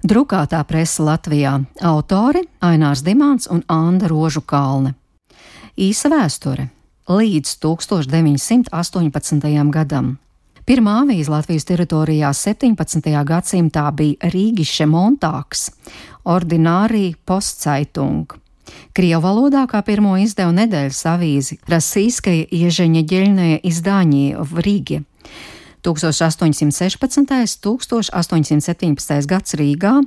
Drukātā presa Latvijā - autori Ainārs Dimants un Anda Rožukalne. Īsa vēsture līdz 1918. gadam. Pirmā avīze Latvijas teritorijā 17. gadsimtā bija Rīgische Montāgs, Ordinārija Postzeitung. Krievu valodā kā pirmo izdeva nedēļas avīzi Rasīskaja Iežeņa ģeļnēja izdāņie v Rīgie. 1816. 1817. gads Rīgā,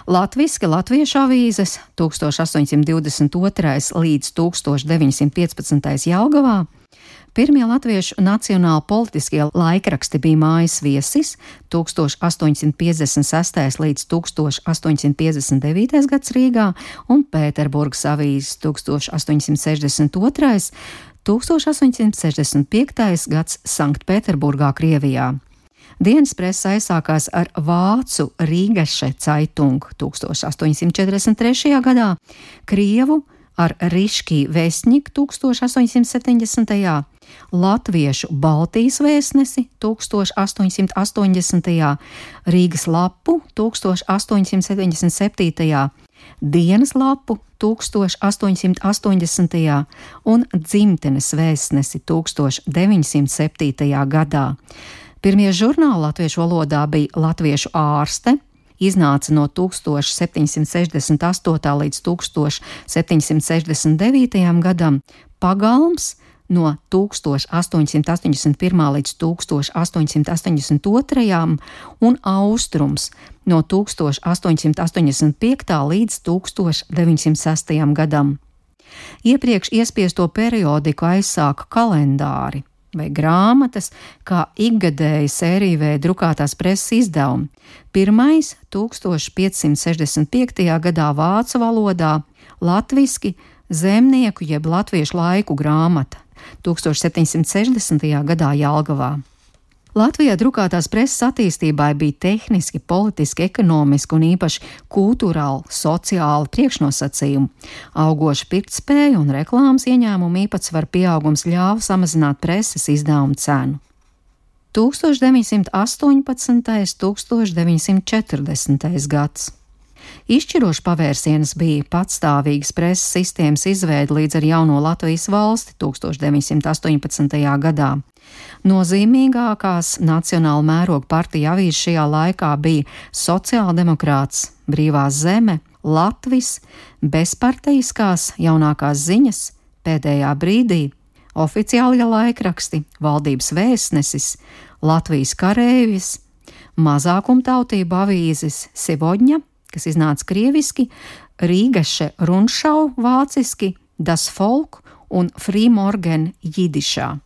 latviski latviešu avīzes 1822. līdz 1915. Jelgavā, pirmie latviešu nacionāli politiskie laikraksti bija Mājas viesis 1856. līdz 1859. gads Rīgā un Pēterburgas avīzes 1862. 1865. gads Sanktpēterburgā, Krievijā. Dienas presa aizsākās ar vācu Rīgasche Zeitung 1843. gadā, krievu ar Riškī Vesņik 1870. Latviešu Baltijas vēstnesi 1880. Rīgas lapu 1877. Dienas lapu 1880. un Dzimtenes vēstnesi 1907. gadā. Pirmie žurnāli latviešu valodā bija Latviešu ārste, iznāca no 1768. līdz 1769. gadam, Pagalms no 1881. līdz 1882. un Austrums no 1885. līdz 1906. gadam. Iepriekš iespiesto periodiku aizsāka kalendāri vai grāmatas, kā ikgadēji sērijveida drukātās preses izdevumi. Pirmais 1565. gadā vācu valodā, latviski Zemnieku jeb latviešu laiku grāmata, 1760. gadā Jelgavā. Latvijā drukātās preses attīstībai bija tehniski, politiski, ekonomiski un īpaši kultūrāli, sociāli priekšnosacījumi. Augoša pirktspēja un reklāmas ieņēmumu īpatsvaru pieaugums ļāva samazināt preses izdevumu cenu. 1918. 1940. gads. Izšķirošs pavērsiens bija patstāvīgas preses sistēmas izveide līdz ar jauno Latvijas valsti 1918. gadā. Nozīmīgākās nacionāla mēroga partija avīzes šajā laikā bija Sociāldemokrāts, Brīvā zeme, Latvis, bezparteiskās jaunākās ziņas, Pēdējā brīdī, oficiālie laikraksti, Valdības vēstnesis, Latvijas karēvis, mazākumtautību avīzes Sevodņa, kas iznāca krieviski, Rīgasche Rundschau vāciski, Das Volk un Frühmorgen jidišā.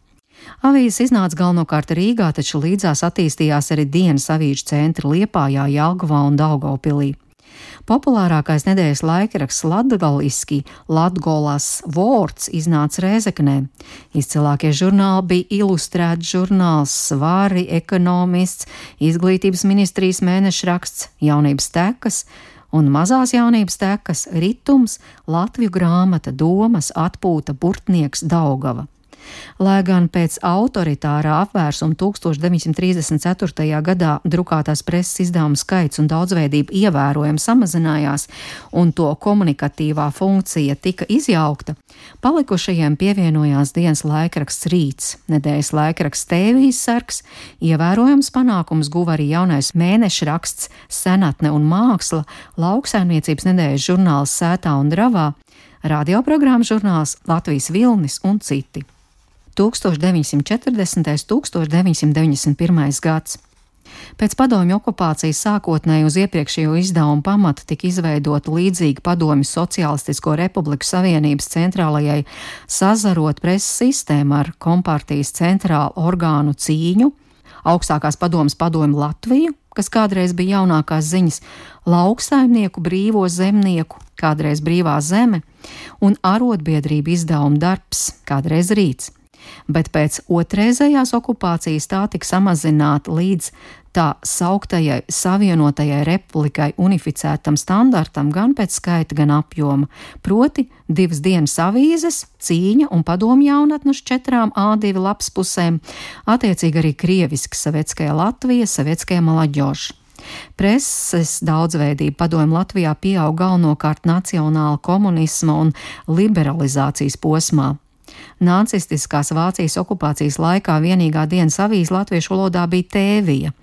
Avīzes iznāca galvenokārt Rīgā, taču līdzās attīstījās arī dienas avīžu centri Liepājā, Jelgavā un Daugavpilī. Populārākais nedēļas laikraksts latgaliski Latgolas Vorts iznāca Rēzeknē. Izcilākie žurnāli bija Ilustrēts žurnāls, Svari, Ekonomists, Izglītības ministrijas mēnešraksts, Jaunības tekas un mazās jaunības tekas, Ritums, Latviju grāmata, Domas, Atpūta, Burtnieks, Daugava. Lai gan pēc autoritārā apvērsuma 1934. gadā drukātās preses izdevumu skaits un daudzveidība ievērojami samazinājās un to komunikatīvā funkcija tika izjaukta, palikušajiem pievienojās dienas laikraksts Rīts, nedēļas laikraksts Tēvijas sargs, ievērojams panākums guva arī jaunais mēnešraksts Senatne un māksla, lauksaimniecības nedēļas žurnāls Sētā un Dravā, radioprogrammas žurnāls Latvijas Vilnis un citi. 1940. 1991. gads. Pēc padomju okupācijas sākotnēji uz iepriekšējo izdevumu pamata tika izveidota līdzīga padomju Sociālistisko Republiku Savienības centrālajai sazarot preses sistēma ar kompartijas centrālu orgānu cīņu, augstākās padomes padomju Latviju, kas kādreiz bija jaunākās ziņas, lauksaimnieku brīvo zemnieku, kādreiz Brīvā zeme, un arotbiedrību izdevumu Darbs, kādreiz Rīts. Bet pēc otrreizējās okupācijas tā tika samazināta līdz tā sauktajai Savienotajai Republikai unificētam standartam gan pēc skaita, gan apjoma, proti 2 dienas avīzes, Cīņa un Padomju jaunatne uz 4 A2 lapspusēm, attiecīgi arī krieviski Sovetskaja Latvija, Sovetskaja Молодежь. Preses daudzveidība padomju Latvijā pieaug galvenokārt nacionāla komunisma un liberalizācijas posmā. Nacistiskās Vācijas okupācijas laikā vienīgā dienas avīze latviešu valodā bija Tēvija.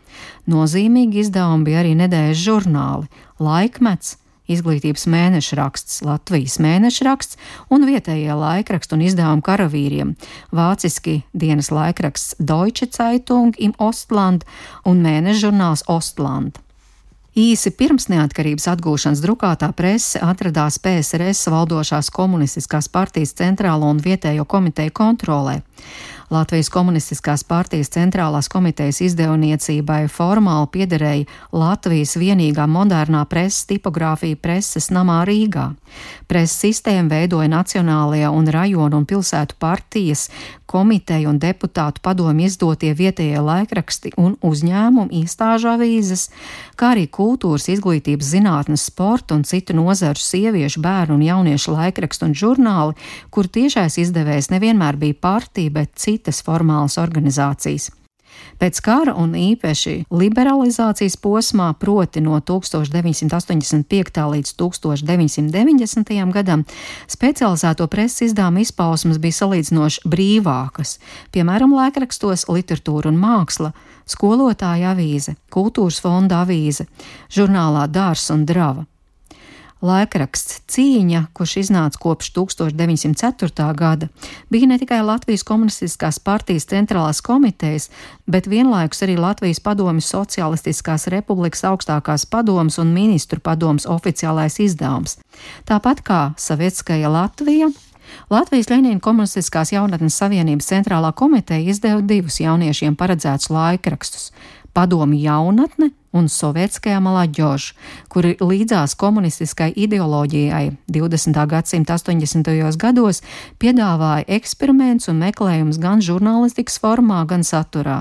Nozīmīgi izdevumi bija arī nedēļas žurnāli, Laikmets, Izglītības mēnešraksts, Latvijas mēnešraksts un vietējie laikraksti un izdevumi karavīriem, vāciski dienas laikraksts Deutsche Zeitung im Ostland un mēnešžurnāls Ostland. Īsi pirms neatkarības atgūšanas drukātā prese atradās PSRS valdošās komunistiskās partijas centrālo un vietējo komiteju kontrolē. Latvijas komunistiskās partijas centrālās komitejas izdevniecībai formāli piederēja Latvijas vienīgā modernā preses tipogrāfija preses namā Rīgā. Preses sistēmu veidoja nacionālajie un rajonu un pilsētu partijas, komiteju un deputātu padomju izdotie vietējie laikraksti un uzņēmumu iestāžu avīzes, kā arī kultūras, izglītības, zinātnes, sporta un citu nozaru sieviešu, bērnu un jauniešu laikrakstu un žurnāli, kur tiešais izdevējs nevienmēr bija partija, bet citas formālas organizācijas. Pēc kara un īpaši liberalizācijas posmā, proti no 1985. līdz 1990. gadam, specializēto preses izdevuma izpausmes bija salīdzinoši brīvākas, piemēram, laikrakstos Literatūra un māksla, Skolotāja avīze, Kultūras fonda avīze, žurnālā Dārs un Drava. Laikraksts Cīņa, kurš iznāca kopš 1904. gada, bija ne tikai Latvijas komunistiskās partijas centrālās komitejas, bet vienlaikus arī Latvijas padomju Socialistiskās republikas augstākās padomes un ministru padomes oficiālais izdevums. Tāpat kā Savietskaja Latvija, Latvijas Ļeņina komunistiskās jaunatnes savienības centrālā komiteja izdeva divus jauniešiem paredzētus laikrakstus – Padomju jaunatne un Sovietskajā Malaģoža, kuri līdzās komunistiskai ideoloģijai 20. gadsimta 80. gados piedāvāja eksperiments un meklējums gan žurnālistikas formā, gan saturā.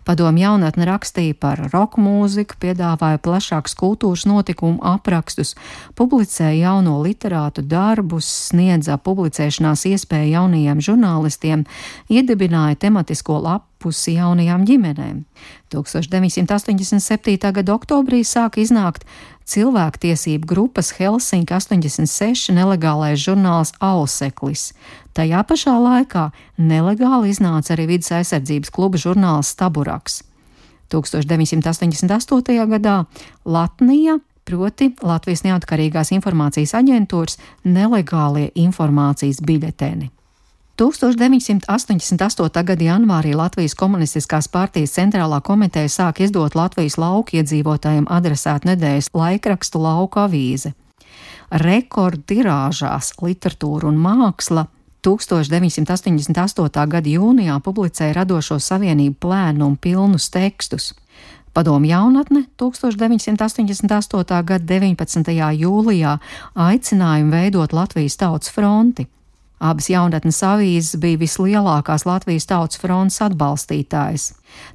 Padomju jaunatne rakstīja par roka mūziku, piedāvāja plašākus kultūras notikumu aprakstus, publicēja jauno literātu darbus, sniedza publicēšanās iespēju jaunajiem žurnālistiem, iedibināja tematisko lapusi jaunajām ģimenēm. 1987. gada oktobrī sāka iznākt cilvēktiesību grupas Helsinki 86 nelegālais žurnāls Auseklis. Tajā pašā laikā nelegāli iznāca arī vides aizsardzības kluba žurnāls Staburaks. 1988. gadā Latnija, proti Latvijas neatkarīgās informācijas aģentūras, nelegālie informācijas biļeteni. 1988. gada janvārī Latvijas komunistiskās partijas centrālā komiteja sāk izdot Latvijas lauku iedzīvotājiem adresētu nedēļas laikrakstu Lauku avīze. Rekordtirāžās Literatūra un māksla 1988. gada jūnijā publicēja Radošo savienību plēnu un pilnus tekstus. Padomju jaunatne 1988. gada 19. jūlijā aicinājumu veidot Latvijas Tautas fronti. Abas jaunatnes avīzes bija vislielākās Latvijas Tautas frontes atbalstītājas.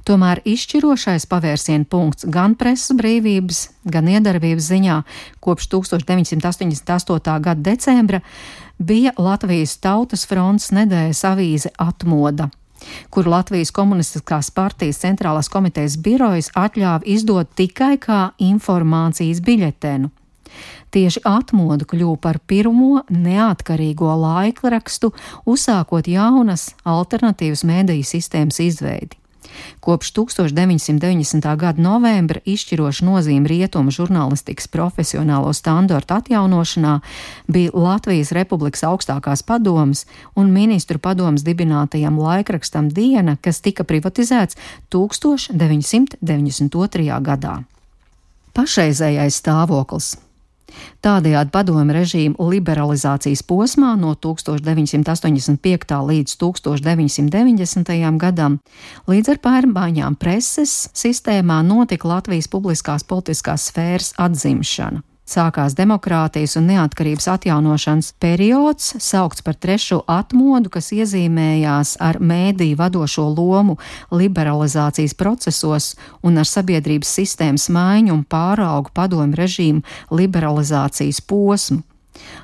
Tomēr izšķirošais pavērsiena punkts gan preses brīvības, gan iedarbības ziņā kopš 1988. gada decembra bija Latvijas Tautas frontes nedēļas avīze Atmoda, kur Latvijas komunistiskās partijas centrālās komitejas birojas atļāva izdot tikai kā informācijas biļetenu. Tieši Atmoda kļuva par pirmo neatkarīgo laikrakstu, uzsākot jaunas alternatīvas mēdīju sistēmas izveidi. Kopš 1990. gada novembra izšķiroša nozīme rietumu žurnālistikas profesionālo standartu atjaunošanā bija Latvijas Republikas augstākās padomes un ministru padomes dibinātajam laikrakstam Diena, kas tika privatizēts 1992. gadā. Pašreizējais stāvoklis. Tādējādi padomju režīma liberalizācijas posmā no 1985. līdz 1990. gadam līdz ar pārmaiņām preses sistēmā notika Latvijas publiskās politiskās sfēras atzimšana. Sākās demokrātijas un neatkarības atjaunošanas periods, saukts par trešo atmodu, kas iezīmējās ar mēdīju vadošo lomu liberalizācijas procesos un ar sabiedrības sistēmas maiņu un pāraugu padomju režīmu liberalizācijas posmu.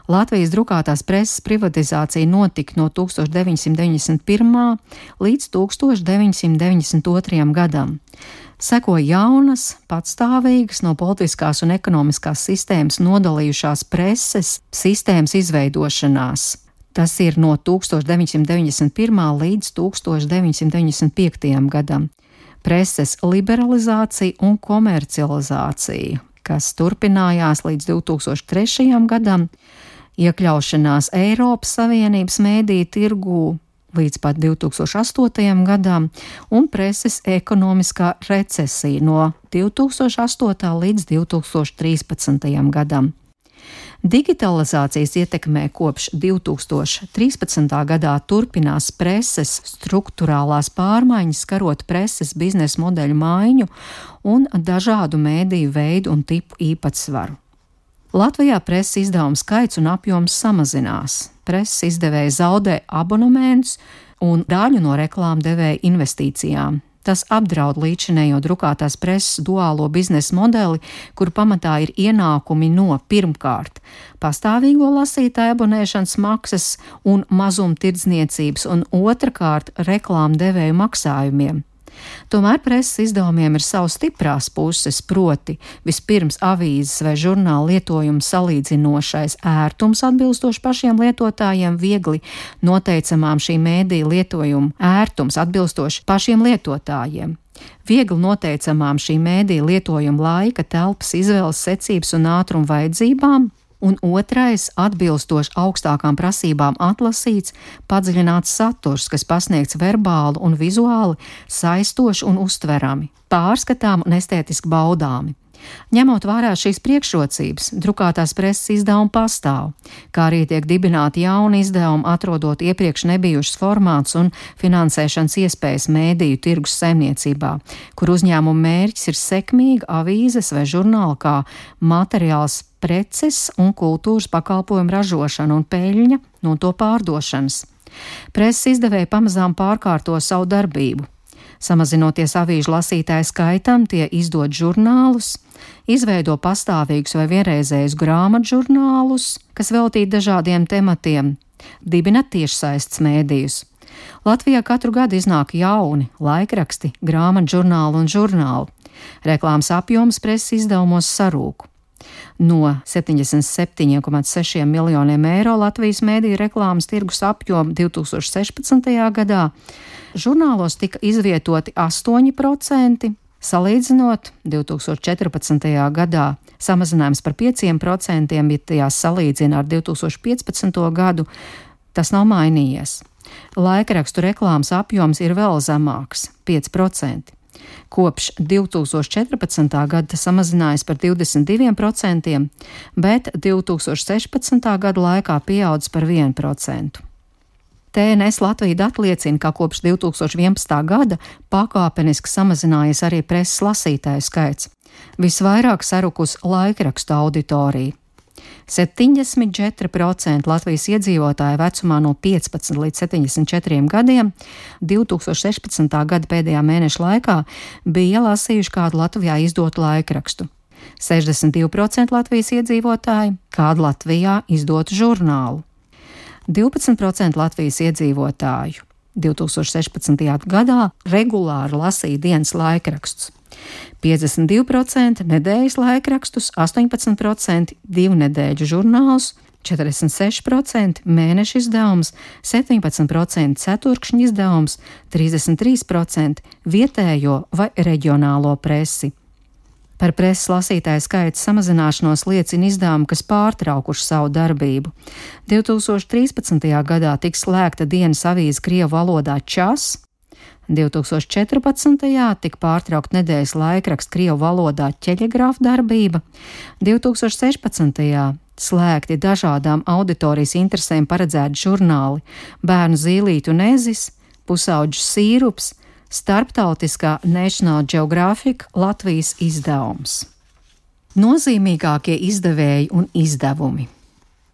Latvijas drukātās preses privatizācija notika no 1991. līdz 1992. gadam. Sekoja jaunas, patstāvīgas, no politiskās un ekonomiskās sistēmas nodalījušās preses sistēmas izveidošanās. Tas ir no 1991. līdz 1995. gadam. Preses liberalizācija un komercializācija, kas turpinājās līdz 2003. gadam, iekļaušanās Eiropas Savienības mēdīju tirgū līdz pat 2008. gadam un preses ekonomiskā recesija no 2008. līdz 2013. gadam. Digitalizācijas ietekmē kopš 2013. gadā turpinās preses struktūrālās pārmaiņas, skarot preses biznesa modeļu maiņu un dažādu mēdīju veidu un tipu īpatsvaru. Latvijā preses izdevumu skaits un apjoms samazinās. Preses izdevēji zaudē abonementus un daļu no reklāmdevēja investīcijām. Tas apdraud līdzinējo drukātās preses duālo biznesa modeli, kur pamatā ir ienākumi no pirmkārt pastāvīgo lasītāju abonēšanas maksas un mazumtirdzniecības un otrkārt reklāmdevēju maksājumiem. Tomēr preses izdevumiem ir savas stiprās puses, proti vispirms avīzes vai žurnāla lietojuma salīdzinošais ērtums atbilstoši pašiem lietotājiem, viegli noteicamām šī mēdīja lietojuma ērtums atbilstoši pašiem lietotājiem. Viegli noteicamām šī mēdīja lietojuma laika, telpas, izvēles secības un ātruma vajadzībām, un otrais atbilstoši augstākām prasībām atlasīts, padziļināts saturs, kas pasniegts verbāli un vizuāli saistoši un uztverami, pārskatām un estētiski baudāmi. Ņemot vērā šīs priekšrocības, drukātās preses izdevumi pastāv, kā arī tiek dibināti jauni izdevumi, atrodot iepriekš nebijušas formāts un finansēšanas iespējas mēdīju tirgus saimniecībā, kur uzņēmuma mērķis ir sekmīga avīzes vai žurnāla kā materiāls preces un kultūras pakalpojumu ražošana un peļņa no to pārdošanas. Preses izdevēji pamazām pārkārto savu darbību. Samazinoties avīžu lasītāju skaitam, tie izdod žurnālus, izveido pastāvīgus vai vienreizējus grāmatu žurnālus, kas veltīti dažādiem tematiem, dibina tiešsaistes mēdījus. Latvijā katru gadu iznāk jauni laikraksti, grāmatu žurnāli un žurnāli. Reklāmas apjoms preses izdevumos sarūk. No 77,6 miljoniem eiro Latvijas mēdīju reklāmas tirgus apjoma 2016. gadā žurnālos tika izvietoti 8%, salīdzinot 2014. gadā samazinājums par 5%, ja tajās salīdzina ar 2015. gadu, tas nav mainījies. Laikrakstu reklāmas apjoms ir vēl zemāks – 5%. Kopš 2014. gada samazinājās par 22%, bet 2016. gada laikā pieaudzis par 1%. TNS Latvija dati liecina, ka kopš 2011. gada pakāpeniski samazinājies arī preses lasītāju skaits. Visvairāk sarukus laikrakstu auditorija. 74% Latvijas iedzīvotāju vecumā no 15 līdz 74 gadiem 2016. gada pēdējā mēneša laikā bija lasījuši kādu Latvijā izdotu laikrakstu. 62% Latvijas iedzīvotāji kādu Latvijā izdotu žurnālu. 12% Latvijas iedzīvotāju 2016. gadā regulāri lasīja dienas laikrakstus. 52% nedēļas laikrakstus, 18% divnedēļu žurnālus, 46% mēneša izdevums, 17% ceturkšņa izdevums, 33% vietējo vai reģionālo presi. Par preses lasītāju skaita samazināšanos liecina izdevumi, kas pārtraukuši savu darbību. 2013. gadā tika slēgta dienas avīze krievu valodā Čas, 2014. tika pārtraukt nedēļas laikraksts krievu valodā Ķeļegrāfa darbība, 2016. slēgti dažādām auditorijas interesēm paredzēti žurnāli Bērnu zīlīti un ezis, Pusauģu sīrups, starptautiskā National Geographic Latvijas izdevums. Nozīmīgākie izdevēji un izdevumi.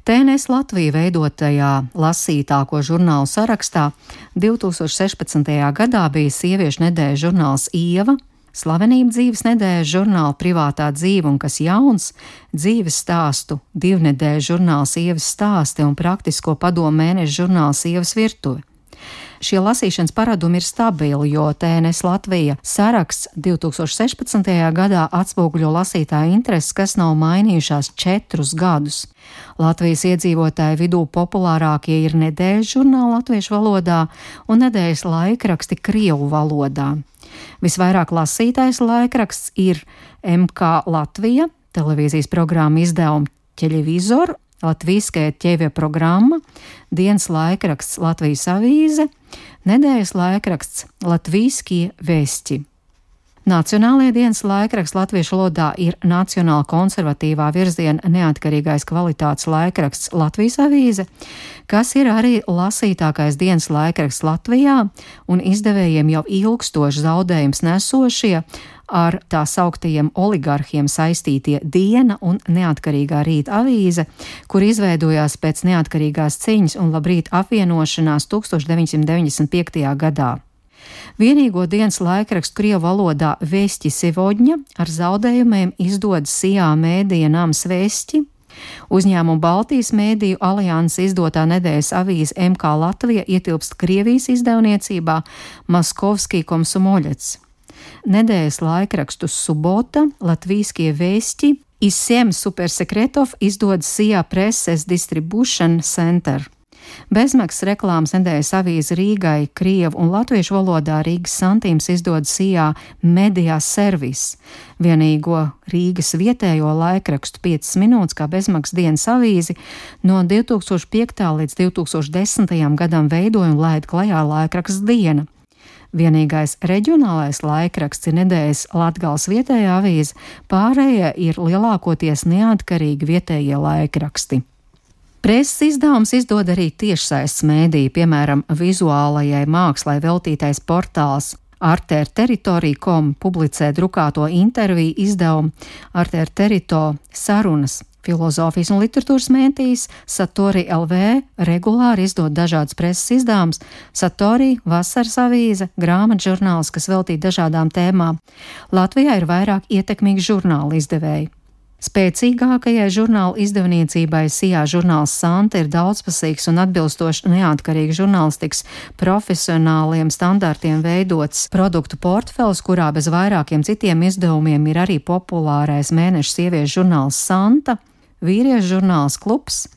TNS Latvija veidotajā lasītāko žurnālu sarakstā 2016. gadā bija sieviešu nedēļas žurnāls Ieva, Slavenību dzīves nedēļas žurnāla Privātā dzīve un kas jauns, dzīves stāstu 2 nedēļu žurnāls Ievas stāsti un praktisko padomu mēneša žurnāls Ievas virtuve. Šie lasīšanas paradumi ir stabili, jo TNS Latvija saraksts 2016. gadā atspoguļo lasītāju intereses, kas nav mainījušās 4 gadus. Latvijas iedzīvotāju vidū populārākie ir nedēļas žurnāli latviešu valodā un nedēļas laikraksti krievu valodā. Visvairāk lasītais laikraksts ir MK Latvija, televīzijas programma izdevuma Ķelevizor, Latvijskajā ķēvja programma, dienas laikraksts Latvijas avīze, nedēļas laikraksts Latvijskie vesti. Nacionālajie dienas laikraksts latviešu valodā ir nacionāla konservatīvā virziena neatkarīgais kvalitātes laikraksts Latvijas avīze, kas ir arī lasītākais dienas laikraksts Latvijā un izdevējiem jau ilgstoši zaudējums nesošie ar tā sauktajiem oligarhiem saistītie Diena un Neatkarīgā rīta avīze, kur izveidojās pēc neatkarīgās cīņas un Labrīt apvienošanās 1995. gadā. Vienīgo dienas laikrakstu krievu valodā Vesti Sevodņa ar zaudējumiem izdod Sijā mēdīja nams Vesti. Uzņēmuma Baltijas mēdīju alianses izdotā nedēļas avīze MK Latvija ietilpst Krievijas izdevniecībā Maskovskij Komsomoļets. Nedēļas laikrakstu Subota, Latvijskie vesti, iz 7 supersekretov izdod Sijā Presses Distribution Center. Bezmaksas reklāmas nedēļas avīze Rīgai, krievu un latviešu valodā Rīgas santīms izdod Sijā Media Service, vienīgo Rīgas vietējo laikrakstu 5 minūtes kā bezmaksas dienas avīzi no 2005. līdz 2010. gadam veidoja un laida klajā laikraksts Diena. Vienīgais reģionālais laikraksts ir nedēļas Latgales vietējā avīze, pārējie ir lielākoties neatkarīgi vietējie laikraksti. Preses izdevums izdod arī tiešsaistes mēdīju, piemēram, vizuālajai mākslai veltītais portāls Arterteritorija.com publicē drukāto interviju izdevumu Arterterito sarunas. Filozofijas un literatūras mēdījis Satori LV regulāri izdod dažādas preses izdevumus, Satori, vasaras avīze, grāmatu žurnāls, kas veltīti dažādām tēmām. Latvijā ir vairāk ietekmīgi žurnālu izdevēji. Spēcīgākajai žurnālu izdevniecībai Sijā žurnāls Santa ir daudzpusīgs un atbilstoši neatkarīgi žurnālistikas profesionāliem standartiem veidots produktu portfels, kurā bez vairākiem citiem izdevumiem ir arī populārais mēneša sieviešu žurnāls Santa, vīriešu žurnāls Klubs,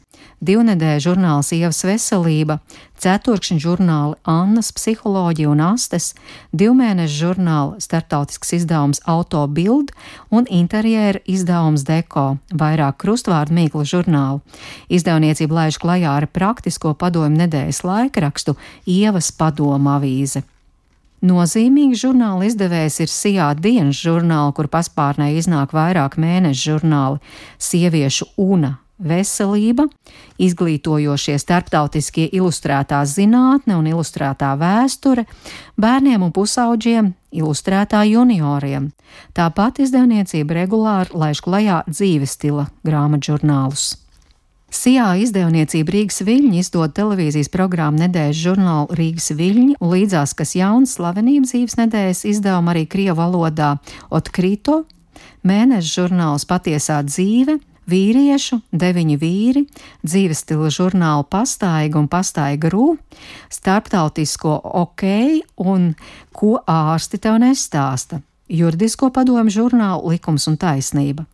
2 nedēļu žurnāls Ievas veselība, 4 žurnāli Annas psiholoģija un Astes, 2 mēnešu žurnāli starptautisks izdevums Auto Bild un interjēra izdevums Deko, vairāk krustvārdu mīklu žurnālu. Izdevniecība laiž klajā ar praktisko padomu nedēļas laikrakstu Ievas padoma avīze. Nozīmīgs žurnāla izdevējs ir Sijā dienas žurnāli, kur paspārnē iznāk vairāk mēnešu žurnāli Sieviešu una veselība, izglītojošie starptautiskie ilustrētā zinātne un ilustrētā vēsture, bērniem un pusauģiem, ilustrētā junioriem. Tāpat izdevniecība regulāri laiž klajā dzīves stila grāmatžurnālus. Sijā izdevniecība Rīgas Viļņi izdod televīzijas programmu nedēļas žurnālu Rīgas Viļņi un līdzās, kas jauns slavenību dzīves nedēļas izdevuma arī krievu valodā Otkrito, mēneša žurnāls Patiesā dzīve, vīriešu, 9 vīri, dzīves stila žurnālu Pastaiga un Pastaiga Rū, starptautisko OK un Ko ārsti tev nestāsta, juridisko padomu žurnālu Likums un taisnība.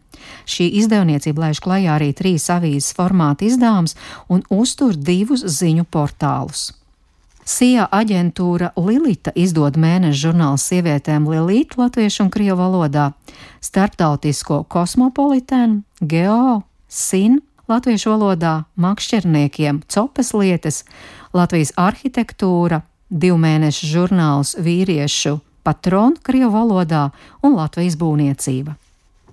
Šī izdevniecība laiž klajā arī 3 avīzes formāta izdevums un uztur 2 ziņu portālus. Sijā aģentūra Lilita izdod mēneša žurnālu sievietēm Lilita latviešu un krievu valodā, starptautisko Kosmopolitēnu, Geo, Sin latviešu valodā, makšķerniekiem Copes lietas, Latvijas arhitektūra, 2 mēnešu žurnāls vīriešu Patron krievu valodā un Latvijas būvniecība.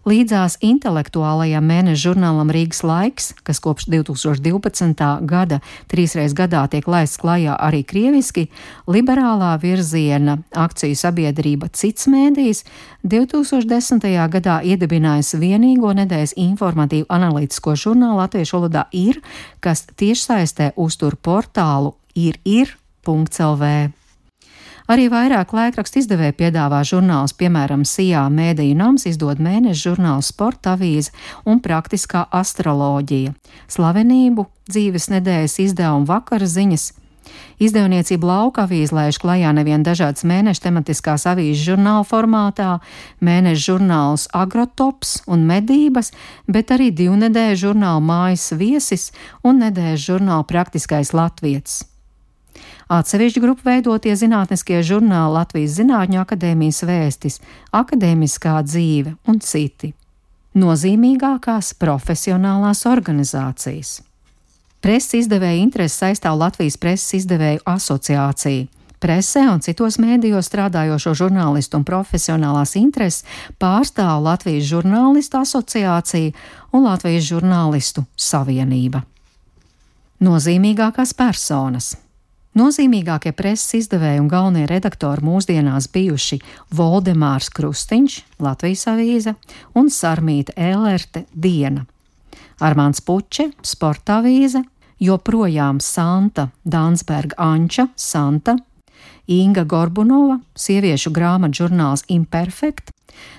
Līdzās intelektuālajam mēneša žurnālam Rīgas laiks, kas kopš 2012. gada 3 reizes gadā tiek laists klajā arī krieviski, liberālā virziena akciju sabiedrība Cits mēdījis 2010. gadā iedibinājusi vienīgo nedēļas informatīvu analītisko žurnālu latviešu valodā Ir, kas tiešsaistē uztur portālu ir.lv. Arī vairāk laikrakstu izdevēji piedāvā žurnālus, piemēram, Sijā Mēdīju nams izdod mēneša žurnālu Sporta avīze un Praktiskā astroloģija, Slavenību dzīves nedēļas izdevuma Vakara ziņas. Izdevniecība Lauka avīze laiž klajā nevien dažādas mēneša tematiskās avīzes žurnāla formātā, mēneša žurnāls Agrotops un Medības, bet arī divnedēļu žurnālu Mājas viesis un nedēļas žurnālu Praktiskais latvietis. Atsevišķu grupu veidotie zinātniskie žurnāli Latvijas Zinātņu akadēmijas vēstis, akadēmiskā dzīve un citi. Nozīmīgākās profesionālās organizācijas. Preses izdevēja interesi saistāv Latvijas preses izdevēju asociācija. Presē un citos mēdījos strādājošo žurnālistu un profesionālās intereses pārstāv Latvijas žurnālistu asociācija un Latvijas žurnālistu savienība. Nozīmīgākās personas. Nozīmīgākie preses izdevēji un galvenie redaktori mūsdienās bijuši Voldemārs Krustiņš, Latvijas avīze, un Sarmīta Ēlerte, Diena. Armāns Puče, Sporta avīze, joprojām Santa Dansberga Anča, Santa, Inga Gorbunova, sieviešu grāmatu žurnāls Imperfekt,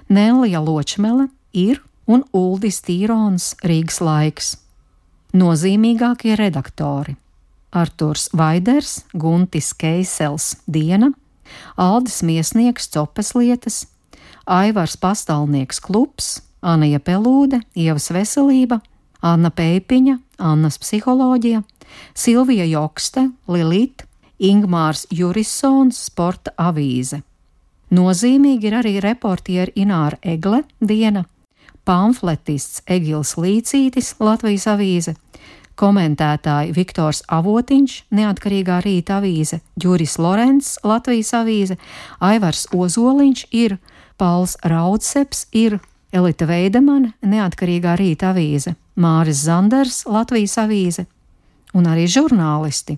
Nellija Ločmele, Ir un Uldis Tīrons, Rīgas laiks. Nozīmīgākie redaktori. Arturs Vaiders, Guntis Keisels, Diena, Aldis Miesnieks, Copes lietas, Aivars Pastālnieks, Klubs, Anija Pelūde, Ievas veselība, Anna Peipiņa, Annas psiholoģija, Silvija Jokste, Lilita, Ingmārs Jurisons, Sporta avīze. Nozīmīgi ir arī reportieri Ināra Egle, Diena, pamfletists Egils Līcītis, Latvijas avīze, komentētāji Viktors Avotiņš, Neatkarīgā rīta avīze, Juris Lorents, Latvijas avīze, Aivars Ozoliņš, Ir, Pauls Raudseps, Ir, Elita Veidemane, Neatkarīgā rīta avīze, Māris Zanders, Latvijas avīze, un arī žurnālisti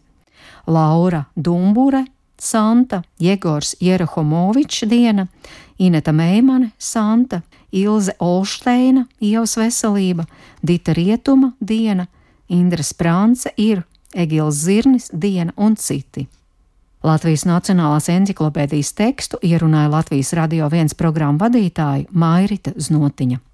Laura Dumbure, Santa, Jegors Jerohomovičs, Diena, Ineta Meimane, Santa, Ilze Olšteina, Ievas veselība, Dita Rietuma, Diena, Indra Sprānce, Ir, Egils Zirnis, Diena un citi. Latvijas Nacionālās enciklopēdijas tekstu ierunāja Latvijas Radio 1 programmu vadītāja Mairita Znotiņa.